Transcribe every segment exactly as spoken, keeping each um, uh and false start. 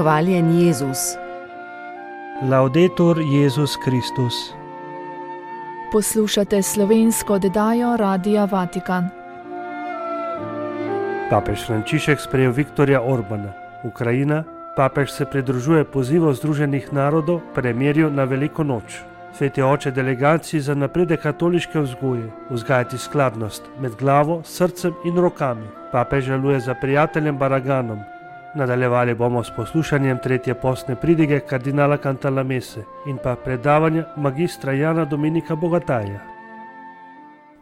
Hvaljen Jezus. Laudetur Jezus Kristus. Poslušate slovensko oddajo Radia Vatikan. Papež Frančišek sprejel Viktorja Orbana. Ukrajina. Papež se pridružuje pozivu Združenih narodov premirju na Veliko noč. Sveti oče delegaciji za napredek katoliške vzgoje, vzgajati skladnost med glavo, srcem in rokami. Papež žaluje za prijateljem Baraganom. Nadaljevali bomo s poslušanjem tretje postne pridige kardinala Cantalamesse in pa predavanja magistra Jana Dominika Bogataja.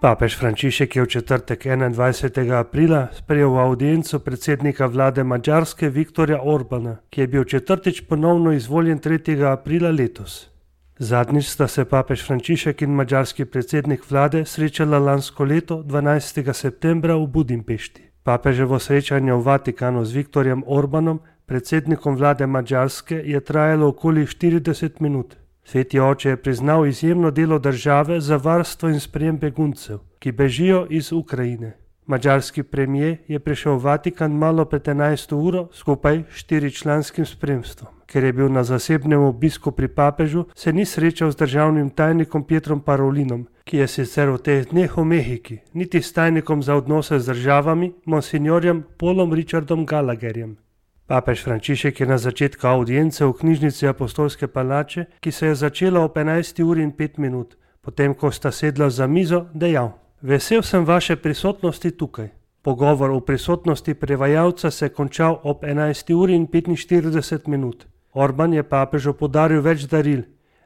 Papež Frančišek je v četrtek enaindvajsetega aprila sprejel avdienco predsednika vlade Madžarske Viktorja Orbana, ki je bil četrtič ponovno izvoljen tretjega aprila letos. Zadnjič sta se papež Frančišek in madžarski predsednik vlade srečala lansko leto dvanajstega septembra v Budimpešti. Papeževo srečanje v Vatikanu z Viktorjem Orbanom, predsednikom vlade Madžarske, je trajalo okoli štirideset minut. Sveti oče je priznal izjemno delo države za varstvo in sprejem beguncev, ki bežijo iz Ukrajine. Madžarski premijer je prišel v Vatikan malo pred enajsto uro skupaj s štiričlanskim spremstvom. Ker je bil na zasebnem obisku pri papežu, se ni srečal z državnim tajnikom Pietrom Parolinom, ki je sicer v teh dneh v Mehiki, niti s tajnikom za odnose z državami, monsignorjem Paulom Richardom Gallagherjem. Papež Frančišek je na začetku avdience v knjižnici Apostolske palače, ki se je začela ob enajsti uri in pet minut, potem ko sta sedla za mizo, dejal: Vesel sem vaše prisotnosti tukaj. Pogovor v prisotnosti prevajalca se je končal ob enajsti uri in petinštirideset minut. Orban je papežu podaril več daril,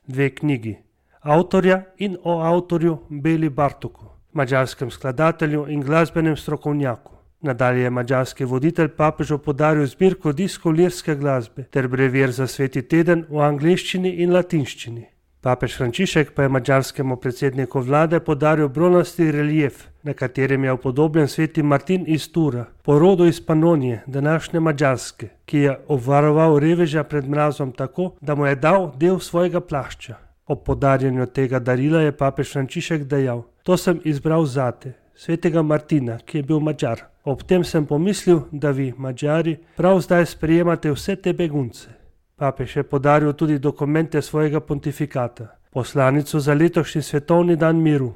dve knjigi, avtorja in o avtorju Beli Bartoku, madžarskem skladatelju in glasbenem strokovnjaku. Nadalje je madžarski voditelj papežu podaril zbirko diskov lirske glasbe ter brevir za sveti teden v angleščini in latinščini. Papež Frančišek pa je madžarskemu predsedniku vlade podaril bronasti relief, na katerem je upodobljen sveti Martin iz Tura, po rodu iz Panonije, današnje Madžarske, ki je obvaroval reveža pred mrazom tako, da mu je dal del svojega plašča. Ob podarjanju tega darila je papež Frančišek dejal: To sem izbral zate, svetega Martina, ki je bil Madžar. Ob tem sem pomislil, da vi, Madžari, prav zdaj sprejemate vse te begunce. Papež je podaril tudi dokumente svojega pontifikata, poslanico za letošnji svetovni dan miru,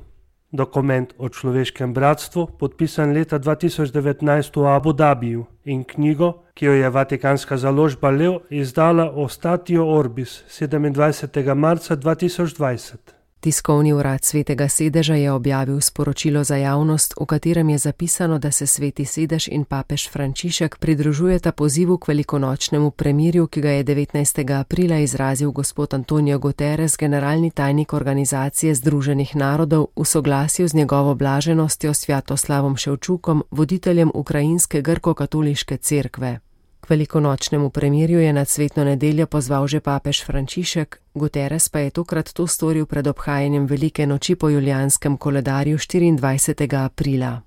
dokument o človeškem bratstvu, podpisan leta dva tisoč devetnajst v Abu Dabiju, in knjigo, ki jo je vatikanska založba Lev izdala o Statio Orbis sedemindvajsetega marca dva tisoč dvajset. Tiskovni urad Svetega sedeža je objavil sporočilo za javnost, v katerem je zapisano, da se Sveti sedež in papež Frančišek pridružujeta pozivu k velikonočnemu premirju, ki ga je devetnajstega aprila izrazil gospod Antonio Guterres, generalni tajnik Organizacije Združenih narodov, v soglasju z njegovo blaženostjo Svjatoslavom Ševčukom, voditeljem ukrajinske grko-katoliške cerkve. K velikonočnemu premirju je nad svetno nedeljo pozval že papež Frančišek, Guterres pa je tokrat to storil pred obhajanjem velike noči po julijanskem koledarju štiriindvajsetega aprila.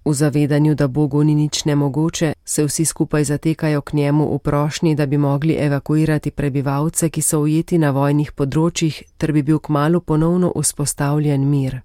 V zavedanju, da Bogu ni nič nemogoče, se vsi skupaj zatekajo k njemu v prošnji, da bi mogli evakuirati prebivalce, ki so ujeti na vojnih področjih, ter bi bil kmalu ponovno vzpostavljen mir.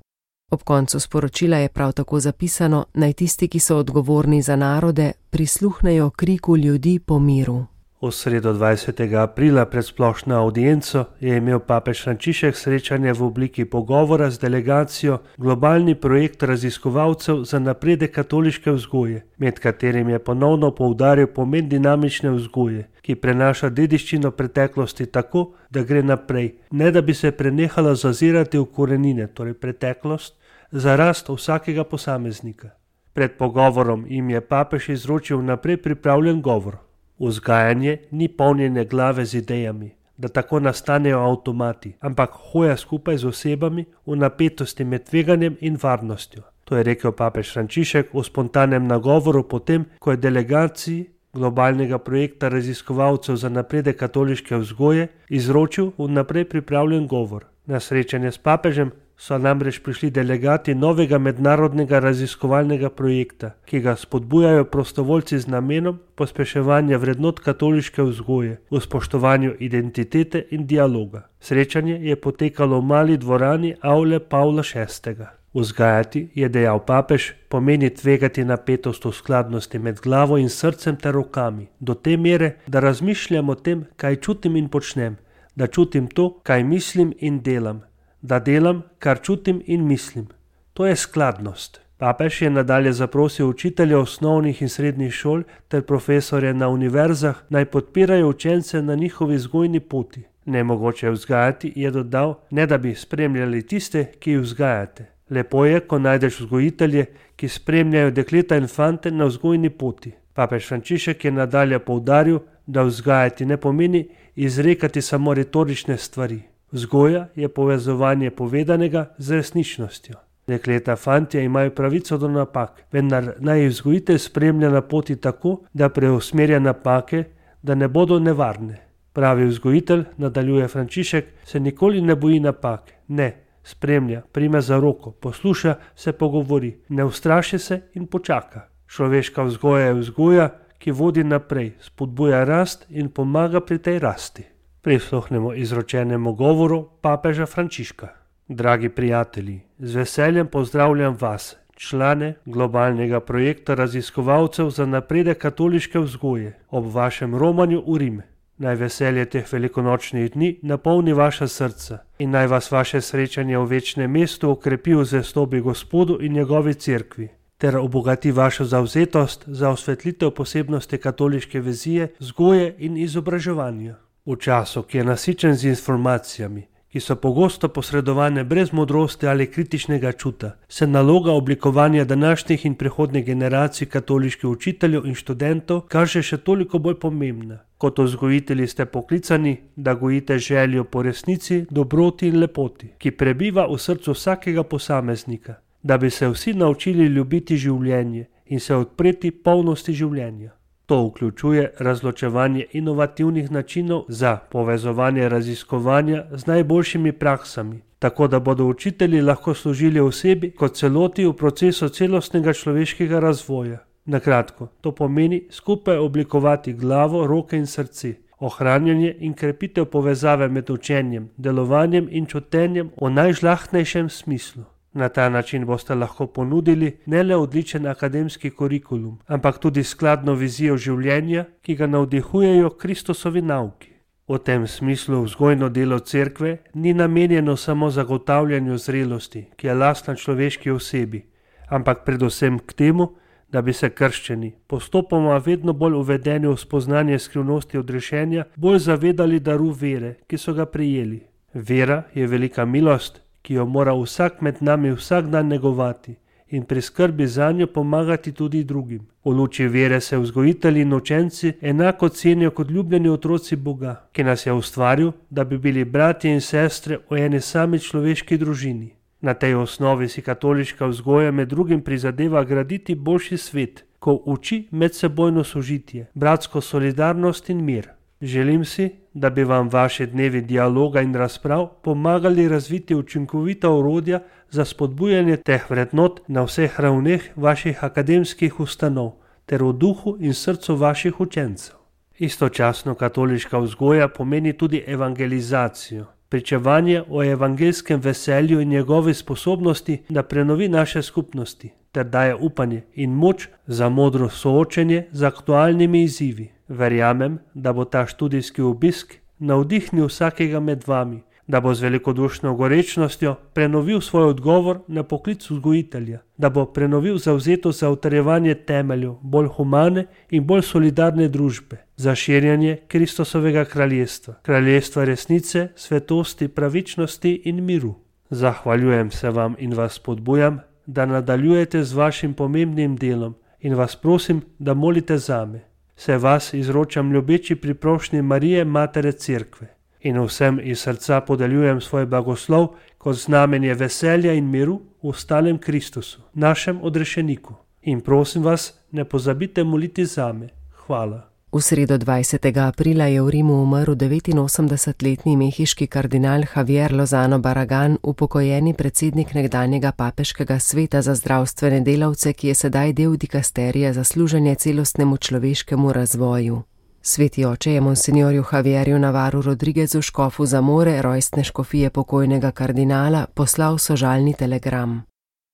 Ob koncu sporočila je prav tako zapisano, naj tisti, ki so odgovorni za narode, prisluhnejo kriku ljudi po miru. V sredo dvajsetega aprila pred splošno avdienco je imel papež Frančišek srečanje v obliki pogovora z delegacijo Globalni projekt raziskovalcev za napredek katoliške vzgoje, med katerim je ponovno poudaril pomen dinamične vzgoje, ki prenaša dediščino preteklosti tako, da gre naprej, ne da bi se prenehala zazirati v korenine, torej preteklost, za rast vsakega posameznika. Pred pogovorom jim je papež izročil naprej pripravljen govor. Vzgajanje ni polnjenje glave z idejami, da tako nastanejo avtomati, ampak hoja skupaj z osebami v napetosti med tveganjem in varnostjo. To je rekel papež Frančišek v spontanem nagovoru potem, ko je delegaciji globalnega projekta raziskovalcev za napredek katoliške vzgoje izročil vnaprej pripravljen govor. Na srečanje s papežem so namreč prišli delegati novega mednarodnega raziskovalnega projekta, ki ga spodbujajo prostovoljci z namenom pospeševanja vrednot katoliške vzgoje v spoštovanju identitete in dialoga. Srečanje je potekalo v mali dvorani Avle Pavla šestega. Vzgajati, je dejal papež, pomeni tvegati napetost v skladnosti med glavo in srcem ter rokami, do te mere, da razmišljam o tem, kaj čutim in počnem, da čutim to, kaj mislim in delam, da delam, kar čutim in mislim. To je skladnost. Papež je nadalje zaprosil učitelje osnovnih in srednjih šol ter profesorje na univerzah, naj podpirajo učence na njihovi vzgojni poti. Nemogoče je vzgajati, je dodal, ne da bi spremljali tiste, ki jih vzgajate. Lepo je, ko najdeš vzgojitelje, ki spremljajo dekleta in fante na vzgojni poti. Papež Frančišek je nadalje poudaril, da vzgajati ne pomeni izrekati samo retorične stvari. Vzgoja je povezovanje povedanega z resničnostjo. Dekleta, fantje imajo pravico do napak, vendar naj jih vzgojitelj spremlja na poti tako, da preusmerja napake, da ne bodo nevarne. Pravi vzgojitelj, nadaljuje Frančišek, se nikoli ne boji napak, ne, spremlja, prime za roko, posluša, se pogovori, ne ustraši se in počaka. Človeška vzgoja je vzgoja, ki vodi naprej, spodbuja rast in pomaga pri tej rasti. Prisluhnemo izročenemu govoru papeža Frančiška. Dragi prijatelji, z veseljem pozdravljam vas, člane globalnega projekta raziskovalcev za napredek katoliške vzgoje, ob vašem romanju v Rim. Naj veselje teh velikonočnih dni napolni vaša srca in naj vas vaše srečanje v večnem mestu okrepi v zvestobi Gospodu in njegovi cerkvi, ter obogati vašo zavzetost za osvetlitev posebnosti katoliške vizije, vzgoje in izobraževanja. V času, ki je nasičen z informacijami, ki so pogosto posredovane brez modrosti ali kritičnega čuta, se naloga oblikovanja današnjih in prihodnjih generacij katoliških učiteljev in študentov kaže še toliko bolj pomembna. Kot vzgojitelji ste poklicani, da gojite željo po resnici, dobroti in lepoti, ki prebiva v srcu vsakega posameznika, da bi se vsi naučili ljubiti življenje in se odpreti polnosti življenja. To vključuje razločevanje inovativnih načinov za povezovanje raziskovanja z najboljšimi praksami, tako da bodo učitelji lahko služili osebi kot celoti v procesu celostnega človeškega razvoja. Na kratko, to pomeni skupaj oblikovati glavo, roke in srce, ohranjanje in krepitev povezave med učenjem, delovanjem in čutenjem v najžlahtnejšem smislu. Na ta način boste lahko ponudili ne le odličen akademski kurikulum, ampak tudi skladno vizijo življenja, ki ga navdihujejo Kristusovi nauki. V tem smislu vzgojno delo cerkve ni namenjeno samo zagotavljanju zrelosti, ki je lastna človeški osebi, ampak predvsem k temu, da bi se krščeni, postopoma vedno bolj uvedeni v spoznanje skrivnosti odrešenja, bolj zavedali daru vere, ki so ga prejeli. Vera je velika milost, ki jo mora vsak med nami vsak dan negovati in pri skrbi zanjo pomagati tudi drugim. V luči vere se vzgojitelji in učenci enako cenijo kot ljubljeni otroci Boga, ki nas je ustvaril, da bi bili bratje in sestre v eni sami človeški družini. Na tej osnovi si katoliška vzgoja med drugim prizadeva graditi boljši svet, ko uči medsebojno sožitje, bratsko solidarnost in mir. Želim si, da bi vam vaše dnevi dialoga in razprav pomagali razviti učinkovita orodja za spodbujanje teh vrednot na vseh ravneh vaših akademskih ustanov ter v duhu in srcu vaših učencev. Istočasno katoliška vzgoja pomeni tudi evangelizacijo, pričevanje o evangeljskem veselju in njegovi sposobnosti, da prenovi naše skupnosti ter daje upanje in moč za modro soočenje z aktualnimi izzivi. Verjamem, da bo ta študijski obisk navdihnil vsakega med vami, da bo z velikodušno gorečnostjo prenovil svoj odgovor na poklic vzgojitelja, da bo prenovil zavzetost za utrjevanje temeljev bolj humane in bolj solidarne družbe, za širjanje Kristusovega kraljestva, kraljestva resnice, svetosti, pravičnosti in miru. Zahvaljujem se vam in vas spodbujam, da nadaljujete z vašim pomembnim delom in vas prosim, da molite zame. Se vas izročam ljubeči pri prošnji Marije, Matere Cerkve, in vsem iz srca podeljujem svoj blagoslov kot znamenje veselja in miru v stalem Kristusu, našem odrešeniku. In prosim vas, ne pozabite moliti zame. Hvala. V sredo dvajsetega aprila je v Rimu umrl devetinosemdesetletni mehiški kardinal Javier Lozano Barragan, upokojeni predsednik nekdanjega papeškega sveta za zdravstvene delavce, ki je sedaj del dikasterija za služenje celostnemu človeškemu razvoju. Sveti oče je monsinjorju Javierju Navarru Rodriguezu, škofu Zamore, rojstne škofije pokojnega kardinala, poslal sožalni telegram.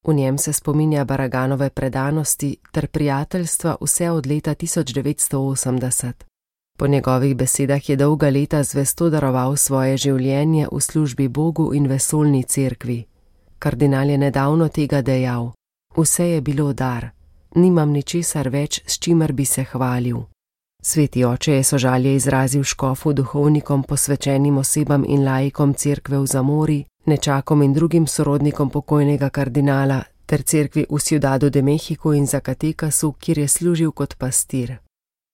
V njem se spominja Baraganove predanosti ter prijateljstva vse od leta tisoč devetsto osemdeset. Po njegovih besedah je dolga leta zvesto daroval svoje življenje v službi Bogu in vesoljni cerkvi. Kardinal je nedavno tega dejal: vse je bilo dar, nimam ničesar več, s čimer bi se hvalil. Sveti oče je sožalje izrazil škofu, duhovnikom, posvečenim osebam in laikom cerkve v Zamori, nečakom in drugim sorodnikom pokojnega kardinala ter cerkvi v Ciudadu de Mexico in Zacatekasu, kjer je služil kot pastir.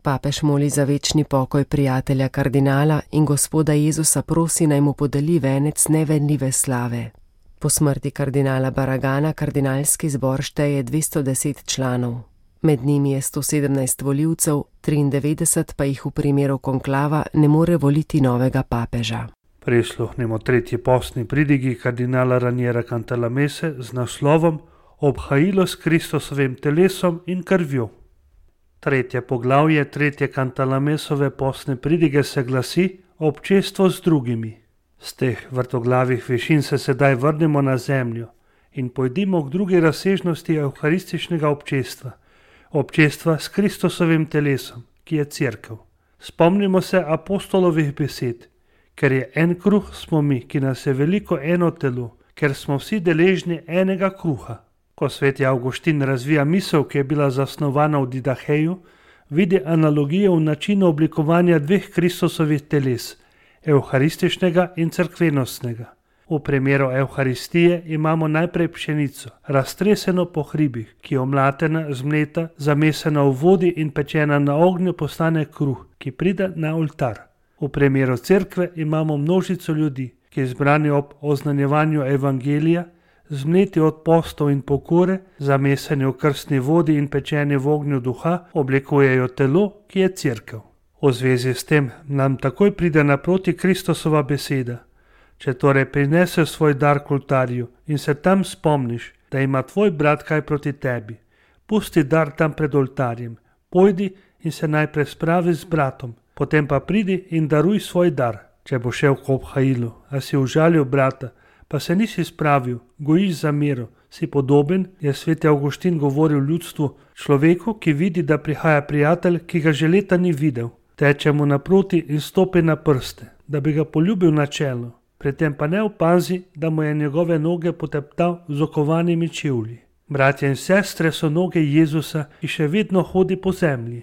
Papež moli za večni pokoj prijatelja kardinala in Gospoda Jezusa prosi, naj mu podeli venec nevenljive slave. Po smrti kardinala Baragana kardinalski zbor šteje dvesto deset članov. Med njimi je sto sedemnajst volivcev, triindevetdeset pa jih v primeru konklava ne more voliti novega papeža. Prisluhnimo tretji postni pridigi kardinala Raniera Cantalamesse z naslovom Obhajilo s Kristusovim telesom in krvjo. Tretje poglavje tretje Cantalamessove postne pridige se glasi Občestvo z drugimi. Z teh vrtoglavih višin se sedaj vrnemo na zemljo in pojdimo k drugi razsežnosti evharističnega občestva, občestva s Kristusovim telesom, ki je cerkev. Spomnimo se apostolovih besed: ker je en kruh, smo mi, ki nas je veliko eno telo, ker smo vsi deležni enega kruha. Ko sveti Avguštin razvija misel, ki je bila zasnovana v Didaheju, vidi analogijo v načinu oblikovanja dveh Kristusovih teles, evharističnega in cerkvenostnega. V primeru evharistije imamo najprej pšenico, raztreseno po hribih, ki je omlatena, zmleta, zamesena v vodi in pečena na ognju, postane kruh, ki pride na oltar. V primeru cerkve imamo množico ljudi, ki zbrani ob oznanjevanju evangelija, zmleti od postov in pokore, zameseni v krstni vodi in pečeni v ognju duha, oblikujejo telo, ki je cerkev. V zvezi s tem nam takoj pride naproti Kristusova beseda: če torej prineseš svoj dar k oltarju in se tam spomniš, da ima tvoj brat kaj proti tebi, pusti dar tam pred oltarjem, pojdi in se najprej spravi z bratom, potem pa pridi in daruj svoj dar. Če bo šel k obhajilu, a si užalil brata, pa se nisi spravil, gojiš zamero, si podoben, je sveti Avguštin govoril ljudstvu, človeku, ki vidi, da prihaja prijatelj, ki ga že leta ni videl. Teče mu naproti in stopi na prste, da bi ga poljubil na čelo, pri tem pa ne opazi, da mu je njegove noge poteptal z okovanimi čevlji. Bratje in sestre so noge Jezusa, ki še vedno hodi po zemlji.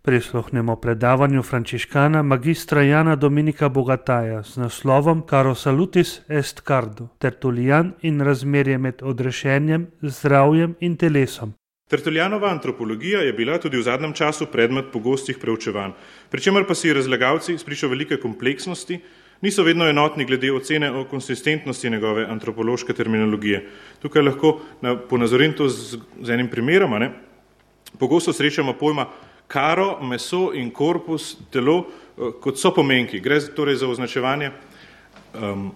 Prisluhnemo predavanju frančiškana magistra Jana Dominika Bogataja z naslovom Caro salutis est cardo, Tertulijan in razmerje med odrešenjem, zdravjem in telesom. Tertuljanova antropologija je bila tudi v zadnjem času predmet pogostih preučevanj, pri čemer pa si razlagalci spričo velike kompleksnosti niso vedno enotni glede ocene o konsistentnosti njegove antropološke terminologije. Tukaj lahko na, ponazorim to z, z enim primerom. Ne? Pogosto srečamo pojma karo, meso in korpus, telo, kot so pomenki. Gre torej za označevanje um,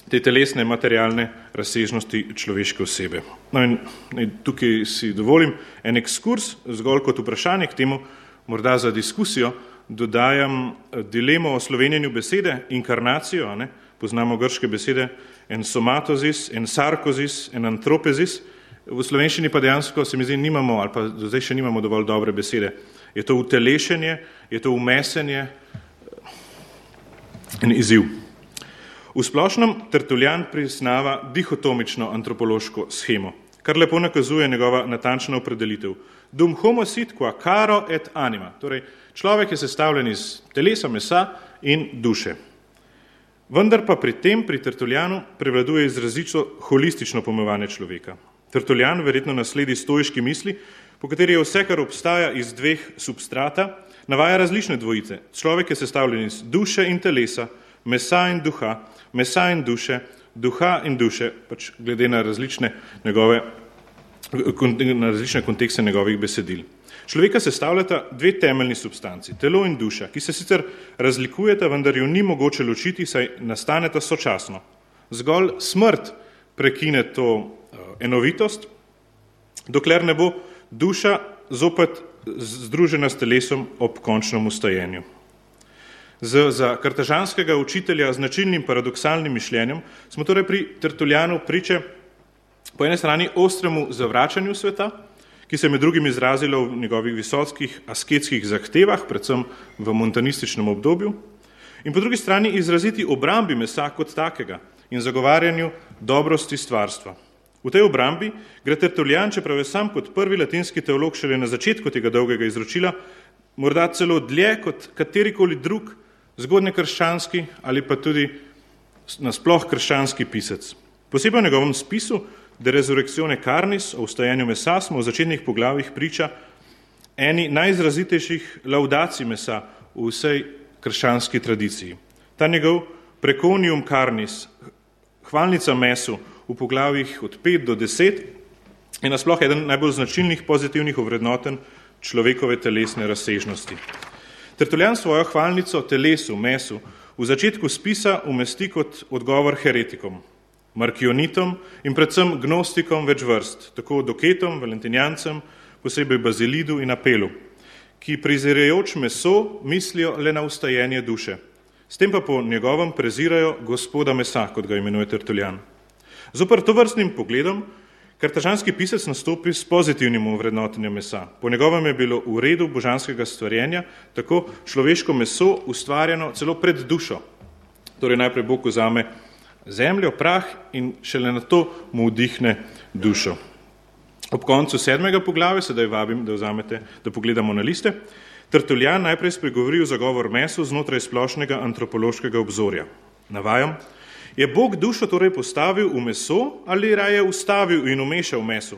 te telesne, materialne razsežnosti človeške osebe. No in, in tukaj si dovolim en ekskurs, zgolj kot vprašanje k temu, morda za diskusijo, dodajam dilemo o slovenjenju besede, inkarnacijo, ne? Poznamo grške besede en somatozis, en sarkozis, en antropezis. V slovenščini pa dejansko se mi zdi nimamo, ali pa do zdaj še nimamo dovolj dobre besede. Je to utelešenje, je to umesenje, en izziv. V splošnem Tertuljan priznava dihotomično antropološko shemo, kar lepo nakazuje njegova natančna opredelitev. Dum homo sit qua caro et anima, torej človek je sestavljen iz telesa, mesa in duše. Vendar pa pri tem, pri Tertuljanu, prevladuje izrazito holistično pojmovanje človeka. Tertuljan verjetno nasledi stoiški misli, po kateri je vse, kar obstaja iz dveh substrata, navaja različne dvojice. Človek je sestavljen iz duše in telesa, mesa in duha, mesa in duše, duha in duše, pač glede na različne, njegove, na različne kontekste njegovih besedil. Človeka sestavljata dve temeljni substanci, telo in duša, ki se sicer razlikujeta, vendar jo ni mogoče ločiti, saj nastaneta sočasno. Zgolj smrt prekine to enovitost, dokler ne bo duša zopet združena s telesom ob končnem ustajenju. Z, za kartažanskega učitelja z značilnim paradoksalnim mišljenjem smo torej pri Tertuljanu priče po eni strani ostremu zavračanju sveta, ki se je med drugim izrazilo v njegovih visokih asketskih zahtevah, predvsem v montanističnem obdobju, in po drugi strani izraziti obrambi mesa kot takega in zagovarjanju dobrosti stvarstva. V tej obrambi gre Tertuljan, čeprav je sam kot prvi latinski teolog šele na začetku tega dolgega izročila, morda celo dlje kot katerikoli drug zgodnjekrščanski ali pa tudi nasploh krščanski pisec. Posebej v njegovem spisu De resurrectione carnis o vstajanju mesa smo v začetnih poglavjih priča eni najizrazitejših laudacij mesa v vsej krščanski tradiciji. Ta njegov preconium carnis, hvalnica mesu v poglavjih od pet do deset, je nasploh eden najbolj značilnih pozitivnih ovrednoten človekove telesne razsežnosti. Tertuljan svojo hvalnico telesu, mesu, v začetku spisa umesti kot odgovor heretikom, markionitom in predvsem gnostikom več vrst, tako doketom, valentinijancem, posebej Bazilidu in Apelu, ki prizirajoč meso mislijo le na ustajenje duše. S tem pa po njegovem prezirajo gospoda mesa, kot ga imenuje Tertuljan. Zoper tovrstnim pogledom kartažanski pisec nastopi s pozitivnim ovrednotenjem mesa. Po njegovem je bilo v redu božanskega stvarjenja tako človeško meso ustvarjeno celo pred dušo. Torej najprej Bog vzame zemljo, prah in šele na to mu vdihne dušo. Ob koncu sedmega poglavja, sedaj vabim, da vzamete, da pogledamo na liste, Tertuljan najprej spregovori o zagovor mesu znotraj splošnega antropološkega obzorja. Navajam, je Bog dušo torej postavil v meso ali raje ustavil in umešal meso?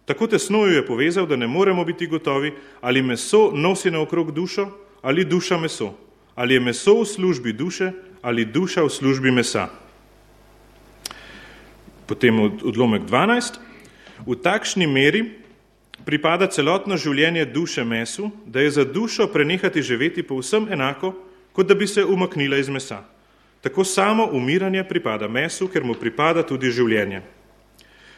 Tako tesno jo je povezal, da ne moremo biti gotovi, ali meso nosi naokrog dušo ali duša meso, ali je meso v službi duše ali duša v službi mesa. Potem odlomek dvanajst. V takšni meri pripada celotno življenje duše mesu, da je za dušo prenehati živeti povsem enako, kot da bi se umaknila iz mesa. Tako samo umiranje pripada mesu, ker mu pripada tudi življenje.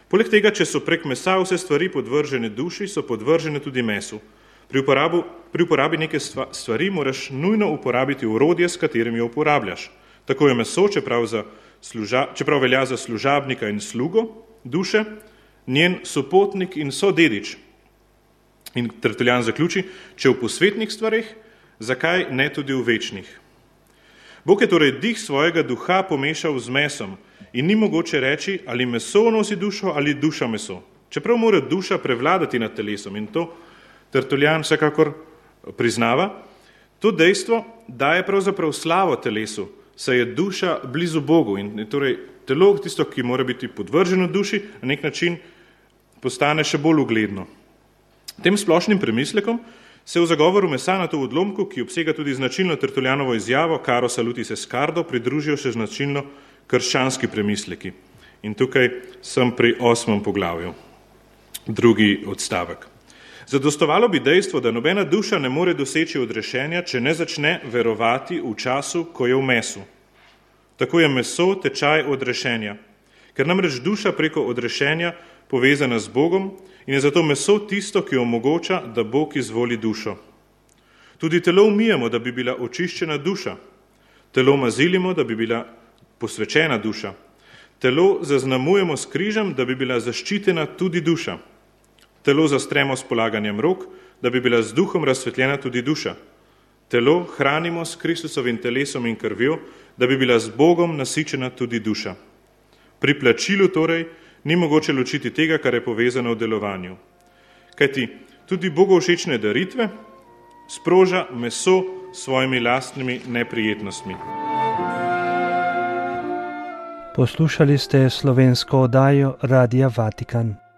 Poleg tega, če so prek mesa vse stvari podvržene duši, so podvržene tudi mesu. Pri, uporabu, pri uporabi neke stvari moraš nujno uporabiti orodje, s katerim jo uporabljaš. Tako je meso, čeprav, za služa, čeprav velja za služabnika in slugo duše, njen sopotnik in sodedič. In Tertuljan zaključi, če v posvetnih stvareh, zakaj ne tudi v večnih. Bog je torej dih svojega duha pomešal z mesom in ni mogoče reči, ali meso nosi dušo ali duša meso. Čeprav mora duša prevladati nad telesom in to Tertuljan vsekakor priznava, to dejstvo daje pravzaprav slavo telesu, saj je duša blizu Bogu in torej telo, tisto, ki mora biti podvrženo duši, na nek način postane še bolj ugledno. Tem splošnim premislekom se v zagovoru mesa na to odlomku, ki obsega tudi značilno Tertuljanovo izjavo Caro salutis escardo, pridružijo še značilno krščanski premisleki. In tukaj sem pri osmem poglavju, drugi odstavek. Zadostovalo bi dejstvo, da nobena duša ne more doseči odrešenja, če ne začne verovati v času, ko je v mesu. Tako je meso tečaj odrešenja, ker namreč duša preko odrešenja povezana z Bogom in je zato meso tisto, ki omogoča, da Bog izvoli dušo. Tudi telo umijemo, da bi bila očiščena duša. Telo mazilimo, da bi bila posvečena duša. Telo zaznamujemo s križem, da bi bila zaščitena tudi duša. Telo zastremo s polaganjem rok, da bi bila z duhom razsvetljena tudi duša. Telo hranimo s Kristusovim telesom in krvjo, da bi bila z Bogom nasičena tudi duša. Pri plačilu torej ni mogoče ločiti tega, kar je povezano v delovanju. Kajti tudi Bogu všečne daritve sproža meso s svojimi lastnimi neprijetnostmi. Poslušali ste slovensko oddajo Radia Vatikan.